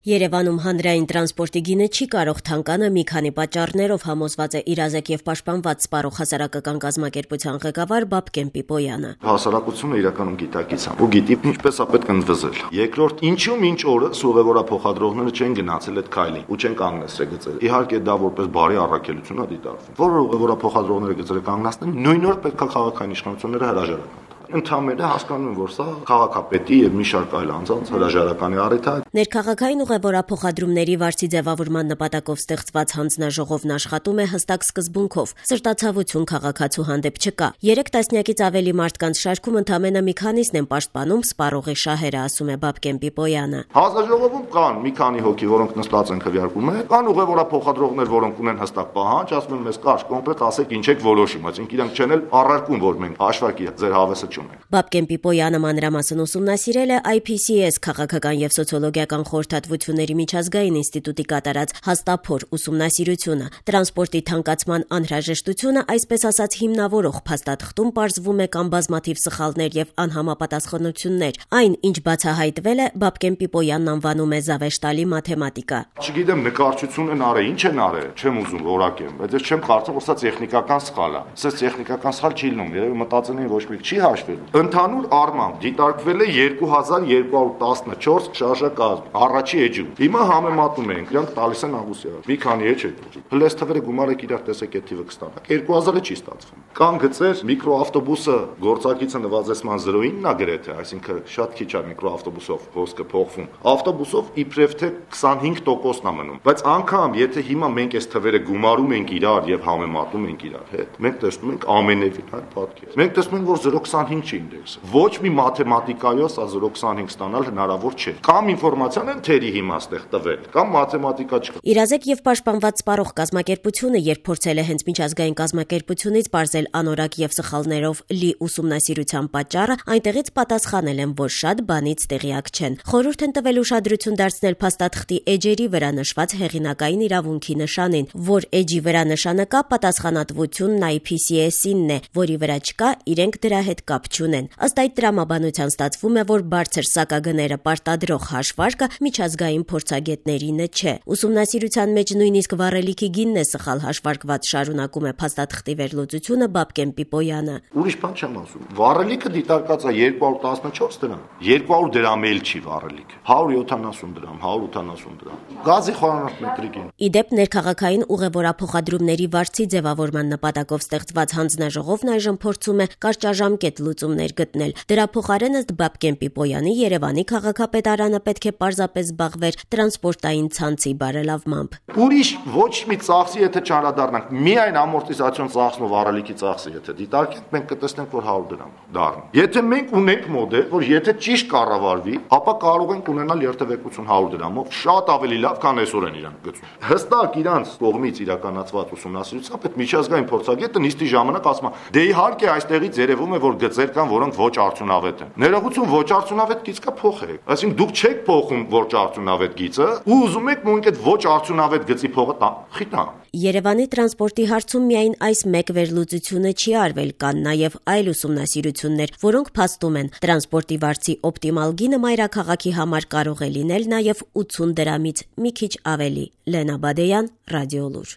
Երևանում հանրային տրանսպորտի գինը չի կարող թանկանը մի քանի պատճառներով, համոզված է իրազեկ եւ պաշտպանված սպառող հասարակական կազմակերպության ղեկավար Բաբկեն Պիպոյանը։ Հասարակությունը իրականում գիտակից ու գիտի ինչպես է պետք ընդվզել։ Երկրորդ, ինչու մինչ օրս ուղևորափոխադրողները չեն գնացել այդ քայլին ու չեն կանգնեցրել գծերը։ Իհարկե դա որպես բարի առաքելություն է դիտարկվում։ Որը ուղևորափոխադրողները գծերը կանգնացնեն, նույն օր պետք է քաղաքային իշխանությունները հրաժարական տան։ Ընդհանրապես հասկանում եմ, որ սա քաղաքապետի եւ մի շարք այլ անձանց հրաժարականի առիթ է։ Ներքաղաքային ուղևորափոխադրումների վարձի ձևավորման նպատակով ստեղծված հանձնաժողովն աշխատում է հստակ սկզբունքով։ Սրտացավություն քաղաքացու հանդեպ չկա։ 3 տասնյակից ավելի մարդկանց շարքում ընդամենը մի քանիսն են պաշտպանում սպառողի շահերը, ասում է Բաբկեն Պիպոյանը։ Հանձնաժողովում կան մի քանի հոգի, որոնք նստած են քվեարկում են, կան ուղևորափոխադրողներ, որոնք ունեն հստակ պահանջ, ասում են մեզ կարճ կոնկրետ ասեք ինչ եք որոշում, այսինքն իրանք չեն էլ առարկում, որ մենք հաշվարկի ձեր հավեսը Բաբկեն Պիպոյանը մանրամասն ուսումնասիրել է IPCS քաղաքական եւ սոցիոլոգիական խորհրդատվությունների միջազգային ինստիտուտի կատարած հաստափոր ուսումնասիրությունը։ Տրանսպորտի թանկացման անհրաժեշտությունը, այսպես ասած, հիմնավորող փաստաթղթում պարզվում է կան բազմաթիվ սխալներ եւ անհամապատասխանություններ։ Այն, ինչ բացահայտվել է, Բաբկեն Պիպոյանն անվանում է զավեշտալի մաթեմատիկա։ Չգիտեմ, նկարչություն են արել, ինչ են արել, չեմ ուզում որակեմ, բայց ես չեմ կարծում, որ սա տեխնիկական սխալ է։ Սա տեխնիկական սխալ չի լինում, երևի մտածել են ոչ մեկ չի Ընդհանուր առմամբ դիտարկվել է 2214 շարժակազմ առաջի էջում։ Հիմա համեմատում ենք, իրանք տալիս են Աղուսյանը։ Մի քանի էջ է։ Հլես թվերը գումարեք իրար տեսեք այդ թիվը կստանաք։ 2000-ը չի ստացվում։ Կան գծեր, միկրոավտոբուսը գործակիցը նվազեցման 0.9-ն է գրեթե, այսինքն շատ քիչ է միկրոավտոբուսով խոսքը փոխվում։ Ավտոբուսով իբրև թե 25%-ն է մնում։ Բայց անգամ եթե հիմա մենք այս թվերը գումարում ենք իրար եւ համեմատում ենք իրար հետ, մենք տեսնում ենք ամենևին այլ պատկեր։ Մենք տեսնում ենք, որ 0.25 չի ինդեքսը։ Ոչ մի մաթեմատիկայով սա 0.25 ստանալ հնարավոր չէ։ Կամ ինֆորմացիան են թերի հիմա ստեղ տվել, կամ մաթեմատիկա չկա։ Իրազեկ եւ պաշտպանված սպառող կազմակերպությունը, երբ փորձել է հենց միջազգային կազմակերպությունից բարձել անորակ եւ սխալներով լի ուսումնասիրության պատճառը, այնտեղից պատասխանել են, որ շատ բանից տեղյակ չեն։ Խորհուրդ են տվել ուշադրություն դարձնել փաստաթղթի էջերի վրա նշված հեղինակային իրավունքի նշանին, որ էջի վրա նշանը կա, պատասխանատվությունն IPCS-ինն է, որի վրա չկա, իրենք դրա հետ կապ չունեն։ Ըստ այդ տրամաբանության ստացվում է, որ բարձր սակագները պարտադրող հաշվարկը միջազգային փորձագետներինը չէ։ Ուսումնասիրության մեջ նույնիսկ վառելիքի գինն է սխալ հաշվարկված, շարունակում է փաստաթղթի վերլուծությունը Բաբկեն Պիպոյանը։ Ուրիշ բան չեմ ասում։ Վառելիքը դիտարկած է 214 դրամ։ 200 դրամ էլ չի վառելիքը։ 170 դրամ, 180 դրամ։ Գազի խորանարդ մետրիկ են։ Իդեպ ներքաղաքային ուղևորափոխադրումների վարձի ձևավորման նպատակով ստեղծված հանձնաժողովն այժմ փորձում է կարճաժամկետ լուծումներ գտնել։ Դրա փոխարեն ըստ Բաբկեն Պիպոյանի Երևանի քաղաքապետարանը պետք է պարզապես զբաղվեր տրանսպորտային ցանցի բարելավմամբ։ Ուրիշ ոչ մի ծախսի եթե չանդրադառնանք, միայն ամորտիզացիոն ծախսն ու վառելիքի ծախսը եթե դիտարկենք, մենք կտեսնենք, որ 100 դրամ դառնի։ Եթե մենք ունենք մոդել, որ եթե ճիշտ կառավարվի, ապա կարող ենք ունենալ երթևեկություն 100 դրամով, շատ ավելի լավ, քան այսօր են իրանք գծում։ Հստակ իրանց կողմից իրականացված ուսումնասիրությամբ այդ միջազգային փորձագետը նիստի ժամանակ ասում է. դե իհարկե այստեղից երևում է, որ գծեր կան, որոնք ոչ արդյունավետ են։ Ներողություն, ոչ արդյունավետ գիծ կա փոխեք։ Այսինքն դուք չեք փոխում ոչ արդյունավետ գիծը ու ուզում եք նույնիսկ այդ ոչ արդյունավետ գծի փողը խիտնա։ Երևանի տրանսպորտի հարցում միայն այս մեկ վերլուծությունը չի արվել, կան նաև այլ ուսումնասիրություններ, որոնք փաստում են տրանսպորտի վարձի օպտիմալ գինը մայրաքաղաքի համար կարող է լինել նաև 80 դրամից մի քիչ ավելի։ Լենա Բադեյան, Ռադիոլուր։